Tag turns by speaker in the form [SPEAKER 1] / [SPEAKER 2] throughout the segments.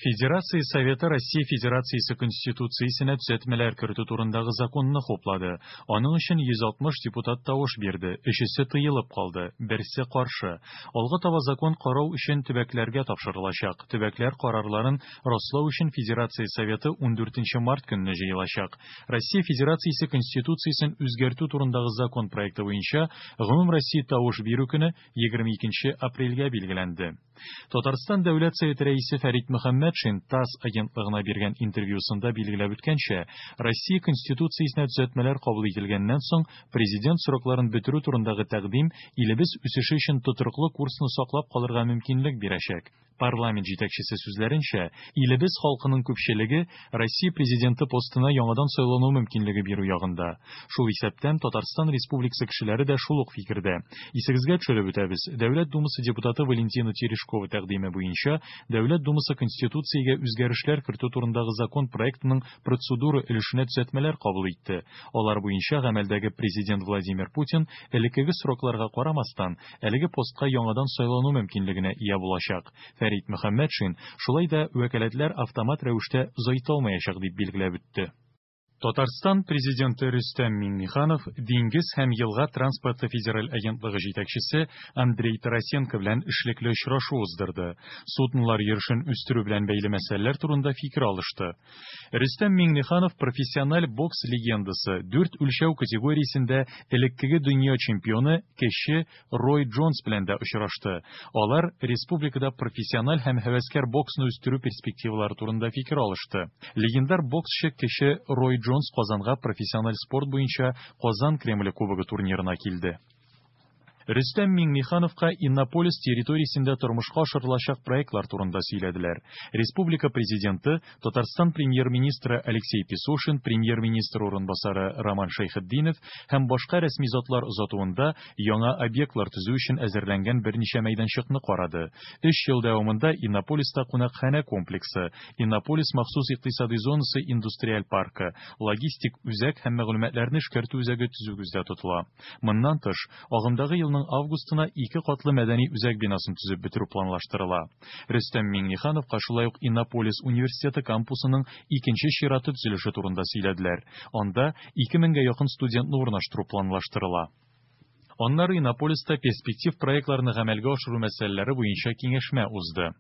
[SPEAKER 1] Федерация Советы Россия Федерациясе Конституциясенә төзәтмәләр кертү турындагы законны хуплады. Аның өчен 160 депутат тавыш бирде, өчесе тыелып калды, берсе каршы. Алга таба закон карау өчен төбәкләргә тапшырылачак. Төбәкләр карарларын раслау өчен Федерация Советы 14 март көнне җыелачак. Россия Федерациясе Конституциясен үзгәртү турындагы закон проекты буенча гомумроссия тавыш бирү көне 22 апрельгә билгеләнде. Татарстан Дәүләт Советы Рәисе Фәрит Мөхәммәтшин ТАСС агентлыгына биргән интервьюсында билгеләп үткәнчә, Россия Конституциясенә төзәтмәләр кабул ителгәннән соң президент срокларын бетерү турындагы тәкъдим илебез үсеше өчен тотрыклы курсны саклап калырга мөмкинлек бирәчәк. Парламент җитәкчесе сүзләренчә, илебез халкының күпчелеге Россия Президенты постына яңадан сайлану мөмкинлеге бирү ягында. Шул исәптән Татарстан Республикасы кешеләре дә шул ук фикердә. Исегезгә төшереп үтәбез, Дәүләт Думасы депутаты Валентина Терешкова тәкъдиме буенча Дәүләт Думасы Конституциягә үзгәрешләр кертү турындагы закон проектының процедура өлешенә төзәтмәләр кабул итте. Алар буенча гамәлдәге Президент Владимир Путин элеккеге срокларга карамастан, әлеге постка яңадан сайлану мөмкинлегенә ия булачак. Фәрит Мөхәммәтшин, шулай да вәкаләтләр автомат рәвештә озайтылмаячак, дип билгеләп үтте. Татарстан Президенты Рөстәм Миңнеханов Диңгез һәм елга транспорты федераль агентлыгы җитәкчесе Андрей Тарасенко белән эшлекле очрашу уздырды. Суднолар йөрешен үстерү белән бәйле мәсьәләләр турында фикер алышты. Рөстәм Миңнеханов профессиональ бокс легендасы, дүрт үлчәү категориясендә элеккеге дөнья чемпионы кече Рой Джонс белән дә очрашты. Алар республикада профессиональ һәм һәвәскәр боксны үстерү перспективалары турында фикер алышты. Легендар боксчы кече Рой Джонс Казанга профессиональ спорт буенча Казан Кремле Кубогы турнирына килде. Рөстәм Миңнехановка Иннополис территориясендә тормышка ашырылачак проектлар турында сөйләделәр. Республика Президенты, Татарстан Премьер-министры Алексей Песошин, Премьер-министр урынбасары Роман Шәйхетдинов һәм башка рәсми затлар озатуында яңа объектлар төзү өчен әзерләнгән берничә мәйданчыкны карады. Өч ел дәвамында Иннополиста кунакханә комплексы, Иннополис махсус икътисадый зонасы индустриаль паркы, логистик үзәк һәм мәгълүматларны эшкәртү үзәге төзү күздә тотыла. Моннан тыш, агымдагы елның августына ике катлы мәдәни үзәк бинасын төзеп бетерү планлаштырыла. Рөстәм Миңнехановка шулай ук Иннополис университеты кампусының икенче чираты төзелеше турында сөйләделәр. Анда 2 меңгә якын студентны урнаштыру планлаштырыла. Аннары Иннополиста перспектив проектларны гамәлгә ашыру мәсьәләләре буенча киңәшмә узды.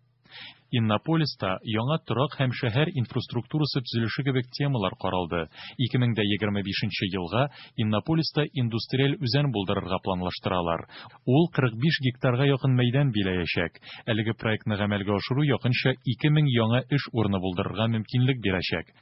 [SPEAKER 1] Иннополиста яңа торак һәм шәһәр инфраструктурасы төзелеше кебек темалар каралды. 2025 елга Иннополиста индустриаль үзән булдырырга планлаштыралар. Ул 45 гектарга якын мәйдан биләячәк. Әлеге проектны гамәлгә ашыру якынча 2000 яңа эш урыны булдырырга мөмкинлек бирәчәк.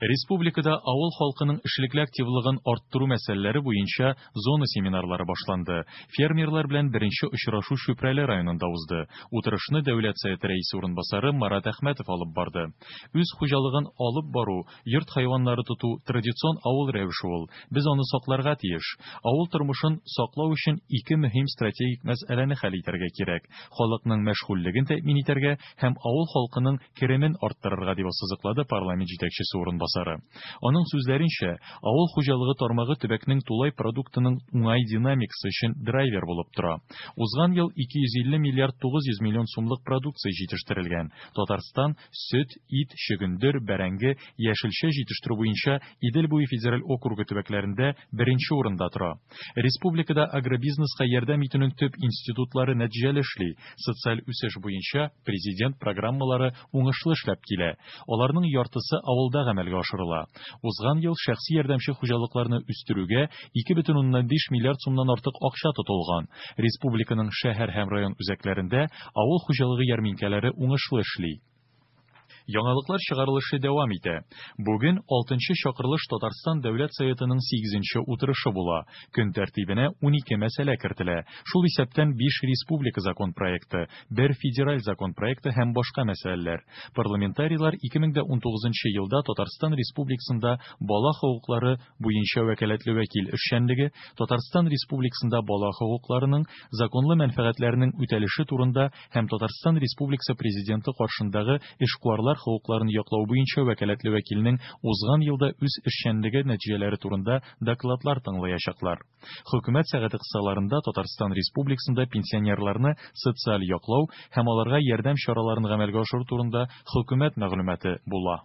[SPEAKER 1] Республикада авыл халкының эшлекле активлыгын арттыру мәсьәләләре буенча зона семинарлары башланды. Фермерлар белән беренче очрашу Чүпрәле районында узды. Утырышны Дәүләт Советы Рәисе урынбасары Марат Әхмәтов алып барды. Үз хуҗалыгын алып бару, йорт хайваннары тоту традицион авыл рәвеше ул. Без аны сакларга тиеш. Авыл тормышын саклау өчен ике мөһим стратегик мәсьәләне хәл итәргә кирәк, халыкның мәшгульлеген тәэмин итәргә һәм авыл халкының керемен арттырырга, дип ассызыклады парламент җитәкчесе урынбасары. Аның сүзләренчә, авыл хуҗалыгы тармагы төбәкнең тулай продуктының уңай динамикасы өчен драйвер булып тора. Узган ел 250 миллиард 900 миллион сумлык продукция җитештерелгән. Татарстан сөт, ит, чөгендер, бәрәңге, яшелчә җитештерү буенча Идел буе федераль округы төбәкләрендә беренче урында тора. Республикада агробизнеска ярдәм итүнең төп институтлары нәтиҗәле эшли, социаль үсеш буенча Президент программалары уңышлы эшләп килә, аларның яртысы авылда гамәлгә ашырыла. Узган ел шәхси ярдәмче хуҗалыкларны үстерүгә 2,5 миллиард сумнан артык акча тотылган. Республиканың шәһәр һәм район үзәкләрендә авыл хуҗалыгы ярминкәләре уңышлы эшли. Яңалыклар чыгарылышы дәвам итә. Бүген алтынчы чакырылыш Татарстан Дәүләт Советының сигезенче утырышы була. Көн тәртибенә 12 мәсьәлә кертелә, шул исәптән биш республика закон проекты, бер федераль закон проекты һәм башка мәсьәләләр. Парламентарийлар 2019 елда Татарстан Республикасында бала хокуклары буенча вәкаләтле вәкил эшчәнлеге, Татарстан Республикасында бала хокукларының, законлы мәнфәгатьләренең үтәлеше турында һәм Татарстан Республикасы Президенты каршындагы эшкуарлар хокукларын яклау буенча вәкаләтле вәкилнең узган елда үз эшчәнлеге нәтиҗәләре турында докладлар тыңлаячаклар. Хөкүмәт сәгате кысаларында Татарстан Республикасында пенсионерларны социаль яклау һәм аларга ярдәм чараларын гамәлгә ашыру турында Хөкүмәт мәгълүматы була.